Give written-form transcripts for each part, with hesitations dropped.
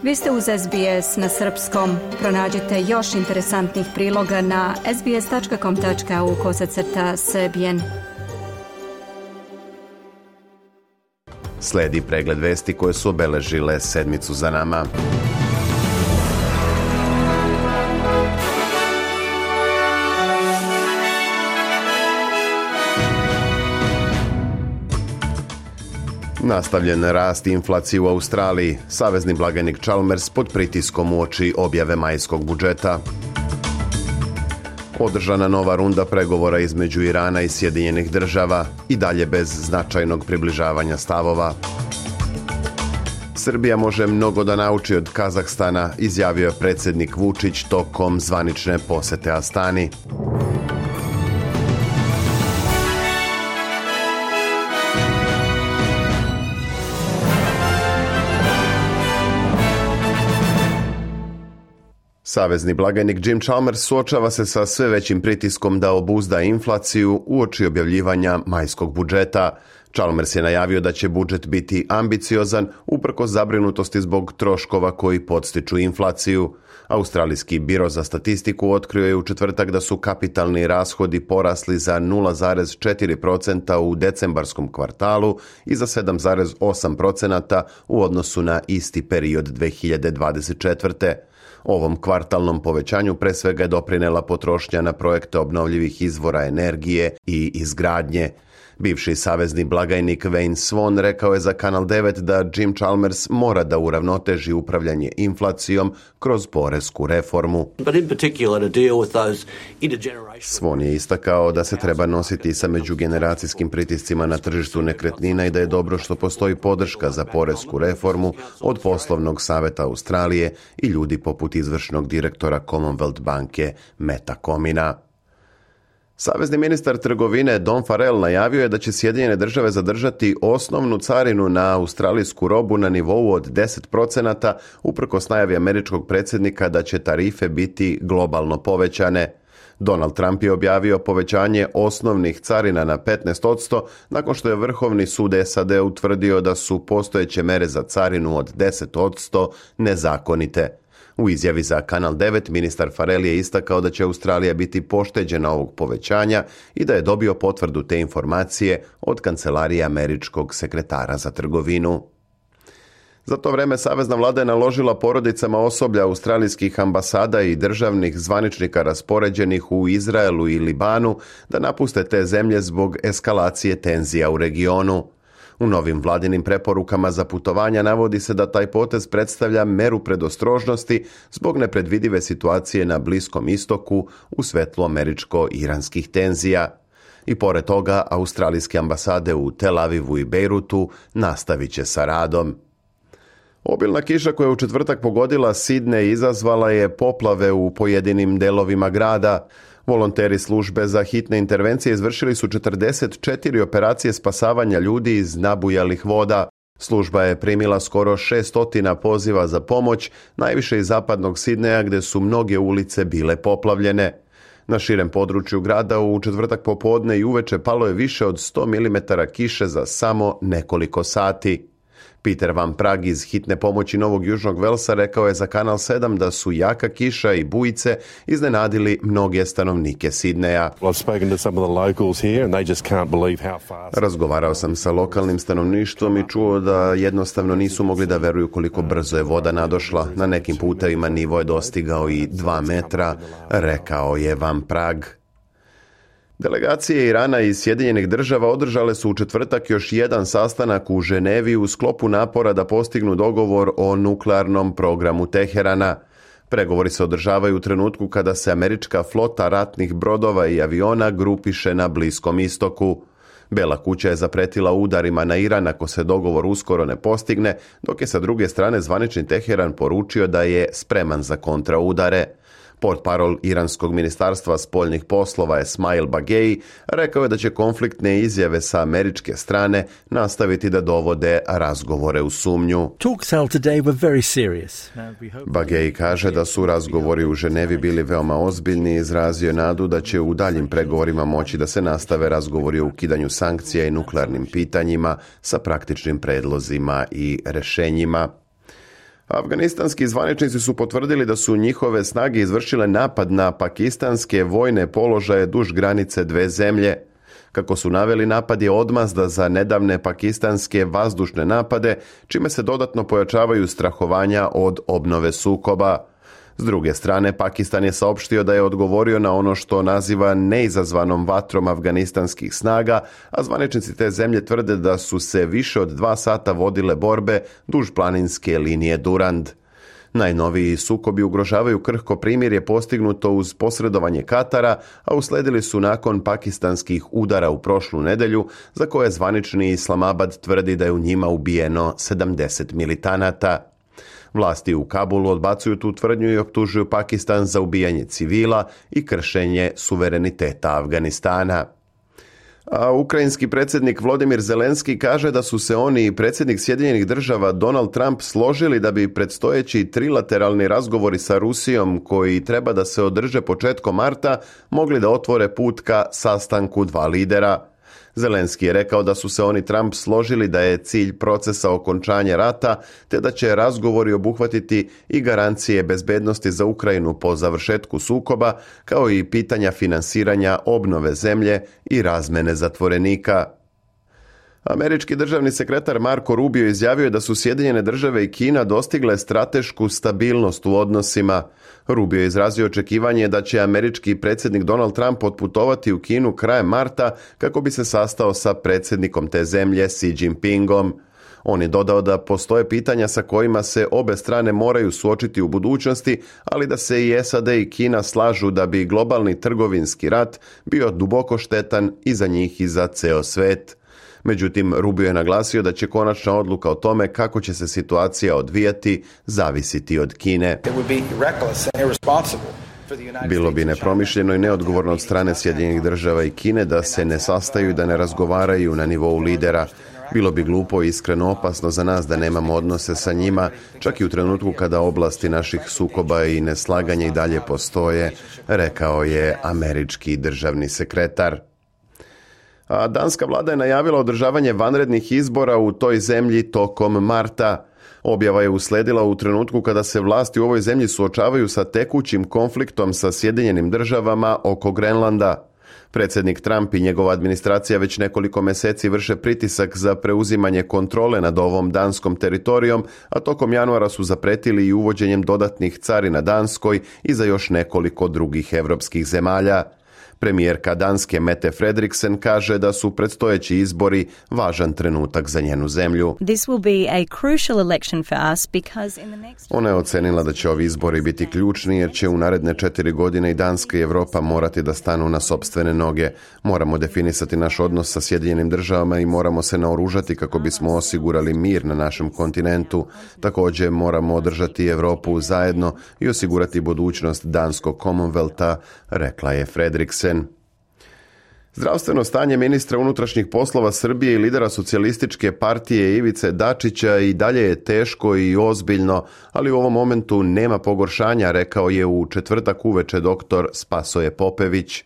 Vi ste uz SBS na srpskom. Pronađite još interesantnih priloga na sbs.com.au/srbijen. Sledi pregled vesti koje su obeležile sedmicu za nama. Nastavljen rast inflacije u Australiji. Savezni blagajnik Chalmers pod pritiskom uoči objave majskog budžeta. Održana nova runda pregovora između Irana i Sjedinjenih država i dalje bez značajnog približavanja stavova. Srbija može mnogo da nauči od Kazahstana, izjavio je predsjednik Vučić tokom zvanične posete Astani. Savezni blagajnik Jim Chalmers suočava se sa sve većim pritiskom da obuzda inflaciju uoči objavljivanja majskog budžeta. Chalmers je najavio da će budžet biti ambiciozan uprkos zabrinutosti zbog troškova koji podstiču inflaciju. Australijski biro za statistiku otkrio je u četvrtak da su kapitalni rashodi porasli za 0,4% u decembarskom kvartalu i za 7,8% u odnosu na isti period 2024. Ovom kvartalnom povećanju pre svega je doprinela potrošnja na projekte obnovljivih izvora energije i izgradnje. Bivši savezni blagajnik Wayne Swan rekao je za Kanal 9 da Jim Chalmers mora da uravnoteži upravljanje inflacijom kroz poresku reformu. Swan je istakao da se treba nositi sa međugeneracijskim pritiscima na tržištu nekretnina i da je dobro što postoji podrška za poresku reformu od poslovnog saveta Australije i ljudi poput izvršnog direktora Commonwealth banke Meta Comina. Savezni ministar trgovine Don Farrell najavio je da će Sjedinjene države zadržati osnovnu carinu na australijsku robu na nivou od 10%, uprkos najavi američkog predsjednika da će tarife biti globalno povećane. Donald Trump je objavio povećanje osnovnih carina na 15% nakon što je Vrhovni sud SAD utvrdio da su postojeće mere za carinu od 10% nezakonite. U izjavi za Kanal 9 ministar Farrell je istakao da će Australija biti pošteđena ovog povećanja i da je dobio potvrdu te informacije od kancelarije američkog sekretara za trgovinu. Za to vreme savezna vlada je naložila porodicama osoblja australijskih ambasada i državnih zvaničnika raspoređenih u Izraelu i Libanu da napuste te zemlje zbog eskalacije tenzija u regionu. U novim vladinim preporukama za putovanja navodi se da taj potez predstavlja meru predostrožnosti zbog nepredvidive situacije na Bliskom istoku u svetlu američko-iranskih tenzija. I pored toga, australijske ambasade u Tel Avivu i Bejrutu nastavit će sa radom. Obilna kiša koja je u četvrtak pogodila Sidney izazvala je poplave u pojedinim delovima grada. Volonteri službe za hitne intervencije izvršili su 44 operacije spasavanja ljudi iz nabujalih voda. Služba je primila skoro 600 poziva za pomoć, najviše iz zapadnog Sidneja gdje su mnoge ulice bile poplavljene. Na širem području grada u četvrtak popodne i uveče palo je više od 100 mm kiše za samo nekoliko sati. Peter Van Prag iz hitne pomoći Novog Južnog Velsa rekao je za Kanal 7 da su jaka kiša i bujice iznenadili mnoge stanovnike Sidneja. Razgovarao sam sa lokalnim stanovništvom i čuo da jednostavno nisu mogli da veruju koliko brzo je voda nadošla. Na nekim putevima nivo je dostigao i 2 metra, rekao je Van Prag. Delegacije Irana i Sjedinjenih država održale su u četvrtak još jedan sastanak u Ženevi u sklopu napora da postignu dogovor o nuklearnom programu Teherana. Pregovori se održavaju u trenutku kada se američka flota ratnih brodova i aviona grupiše na Bliskom istoku. Bela kuća je zapretila udarima na Iran ako se dogovor uskoro ne postigne, dok je sa druge strane zvanični Teheran poručio da je spreman za kontraudare. Portparol iranskog ministarstva spoljnih poslova Esmail Bagei rekao je da će konfliktne izjave sa američke strane nastaviti da dovode razgovore u sumnju. Bagei kaže da su razgovori u Ženevi bili veoma ozbiljni i izrazio nadu da će u daljim pregovorima moći da se nastave razgovori o ukidanju sankcija i nuklearnim pitanjima sa praktičnim predlozima i rešenjima. Afganistanski zvaničnici su potvrdili da su njihove snage izvršile napad na pakistanske vojne položaje duž granice dve zemlje. Kako su naveli, napad je odmazda za nedavne pakistanske vazdušne napade, čime se dodatno pojačavaju strahovanja od obnove sukoba. S druge strane, Pakistan je saopštio da je odgovorio na ono što naziva neizazvanom vatrom afganistanskih snaga, a zvaničnici te zemlje tvrde da su se više od 2 sata vodile borbe duž planinske linije Durand. Najnoviji sukobi ugrožavaju krhko primirje postignuto uz posredovanje Katara, a usledili su nakon pakistanskih udara u prošlu nedjelju, za koje zvanični Islamabad tvrdi da je u njima ubijeno 70 militanata. Vlasti u Kabulu odbacuju tu tvrdnju i optužuju Pakistan za ubijanje civila i kršenje suvereniteta Afganistana. A ukrajinski predsjednik Volodymyr Zelenski kaže da su se oni i predsjednik Sjedinjenih Država Donald Trump složili da bi predstojeći trilateralni razgovori sa Rusijom, koji treba da se održe početkom marta, mogli da otvore put ka sastanku 2 lidera. Zelenski je rekao da su se oni Trump složili da je cilj procesa okončanja rata, te da će razgovori obuhvatiti i garancije bezbednosti za Ukrajinu po završetku sukoba, kao i pitanja finansiranja obnove zemlje i razmene zatvorenika. Američki državni sekretar Marco Rubio izjavio je da su Sjedinjene Države i Kina dostigle stratešku stabilnost u odnosima. Rubio je izrazio očekivanje da će američki predsjednik Donald Trump otputovati u Kinu krajem marta kako bi se sastao sa predsjednikom te zemlje Xi Jinpingom. On je dodao da postoje pitanja sa kojima se obe strane moraju suočiti u budućnosti, ali da se i SAD i Kina slažu da bi globalni trgovinski rat bio duboko štetan i za njih i za ceo svet. Međutim, Rubio je naglasio da će konačna odluka o tome kako će se situacija odvijati zavisiti od Kine. Bilo bi nepromišljeno i neodgovorno od strane Sjedinjenih Država i Kine da se ne sastaju i da ne razgovaraju na nivou lidera. Bilo bi glupo i iskreno opasno za nas da nemamo odnose sa njima, čak i u trenutku kada oblasti naših sukoba i neslaganja i dalje postoje, rekao je američki državni sekretar. A danska vlada je najavila održavanje vanrednih izbora u toj zemlji tokom marta. Objava je usledila u trenutku kada se vlasti u ovoj zemlji suočavaju sa tekućim konfliktom sa Sjedinjenim Državama oko Grenlanda. Predsjednik Trump i njegova administracija već nekoliko mjeseci vrše pritisak za preuzimanje kontrole nad ovom danskom teritorijom, a tokom januara su zapretili i uvođenjem dodatnih carina Danskoj i za još nekoliko drugih europskih zemalja. Premijerka Danske Mette Frederiksen kaže da su predstojeći izbori važan trenutak za njenu zemlju. Ona je ocenila da će ovi izbori biti ključni jer će u naredne 4 godine i Danska i Europa morati da stanu na sopstvene noge. Moramo definisati naš odnos sa Sjedinjenim Državama i moramo se naoružati kako bismo osigurali mir na našem kontinentu. Također moramo održati Europu zajedno i osigurati budućnost danskog Commonwealtha, rekla je Frederiksen. Zdravstveno stanje ministra unutrašnjih poslova Srbije i lidera socijalističke partije Ivice Dačića i dalje je teško i ozbiljno, ali u ovom momentu nema pogoršanja, rekao je u četvrtak uveče dr. Spasoje Popević.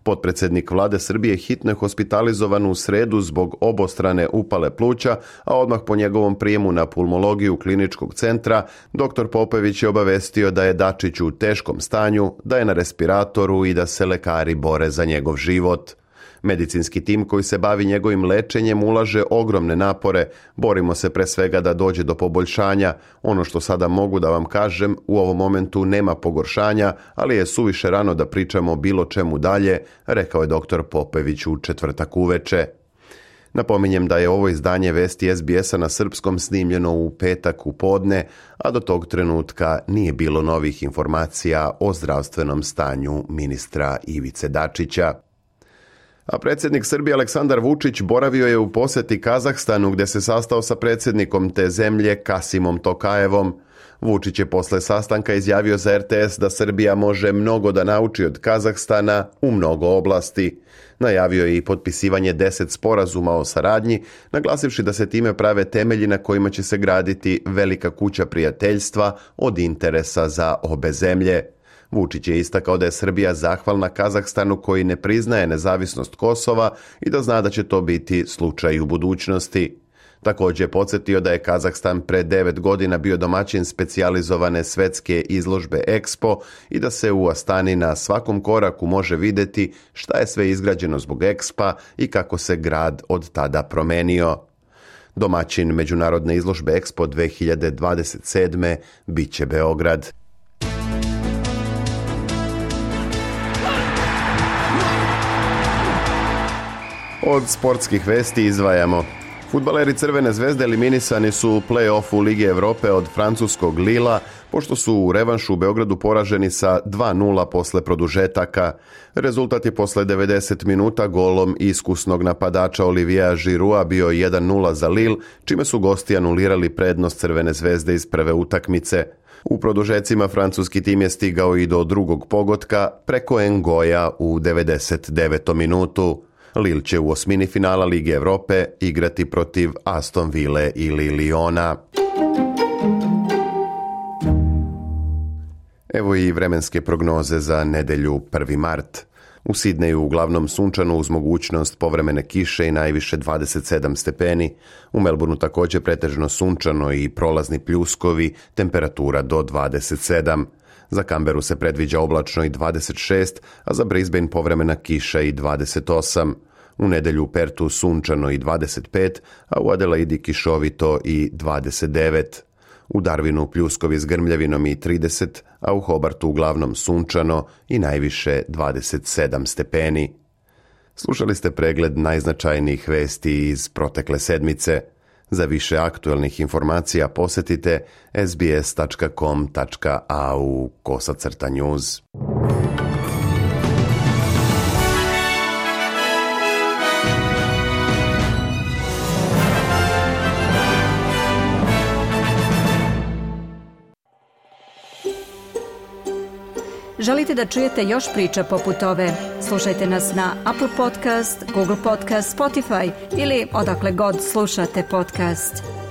Potpredsjednik vlade Srbije hitno je hospitalizovan u sredu zbog obostrane upale pluća, a odmah po njegovom prijemu na pulmologiju kliničkog centra, dr. Popević je obavestio da je Dačić u teškom stanju, da je na respiratoru i da se lekari bore za njegov život. Medicinski tim koji se bavi njegovim lečenjem ulaže ogromne napore. Borimo se pre svega da dođe do poboljšanja. Ono što sada mogu da vam kažem, u ovom momentu nema pogoršanja, ali je suviše rano da pričamo o bilo čemu dalje, rekao je dr. Popević u četvrtak uveče. Napominjem da je ovo izdanje vesti SBS-a na srpskom snimljeno u petak u podne, a do tog trenutka nije bilo novih informacija o zdravstvenom stanju ministra Ivice Dačića. A predsjednik Srbije Aleksandar Vučić boravio je u posjeti Kazahstanu gdje se sastao sa predsjednikom te zemlje Kasimom Tokajevom. Vučić je posle sastanka izjavio za RTS da Srbija može mnogo da nauči od Kazahstana u mnogo oblasti. Najavio je i potpisivanje 10 sporazuma o saradnji, naglasivši da se time prave temelji na kojima će se graditi velika kuća prijateljstva od interesa za obe zemlje. Vučić je istakao da je Srbija zahvalna Kazahstanu koji ne priznaje nezavisnost Kosova i da zna da će to biti slučaj u budućnosti. Također je podsjetio da je Kazahstan pre 9 godina bio domaćin specijalizovane svetske izložbe Expo i da se u Astani na svakom koraku može vidjeti šta je sve izgrađeno zbog Expa i kako se grad od tada promenio. Domaćin međunarodne izložbe Expo 2027. bit će Beograd. Od sportskih vesti izdvajamo. Fudbaleri Crvene zvezde eliminisani su u play-offu Lige Europe od francuskog Lila, pošto su u revanšu u Beogradu poraženi sa 2:0 posle produžetaka. Rezultat je posle 90 minuta golom iskusnog napadača Oliviera Giroua bio 1:0 za Lille, čime su gosti anulirali prednost Crvene zvezde iz prve utakmice. U produžecima francuski tim je stigao i do drugog pogotka preko Ngoja u 99. minutu. Lille će u osmini finala Lige Europe igrati protiv Aston Ville ili Liona. Evo i vremenske prognoze za nedelju 1. mart. U Sidneju uglavnom sunčano uz mogućnost povremene kiše i najviše 27 stepeni. U Melbourneu također pretežno sunčano i prolazni pljuskovi, temperatura do 27. Za Canberu se predviđa oblačno i 26, a za Brisbane povremena kiša i 28. U nedelju u Pertu sunčano i 25, a u Adelaidi kišovito i 29. U Darwinu pljuskovi s grmljavinom i 30, a u Hobartu uglavnom sunčano i najviše 27 stepeni. Slušali ste pregled najznačajnijih vesti iz protekle sedmice. Za više aktualnih informacija posjetite sbs.com.au/news. Želite da čujete još priča poput ove? Slušajte nas na Apple Podcast, Google Podcast, Spotify ili odakle god slušate podcast.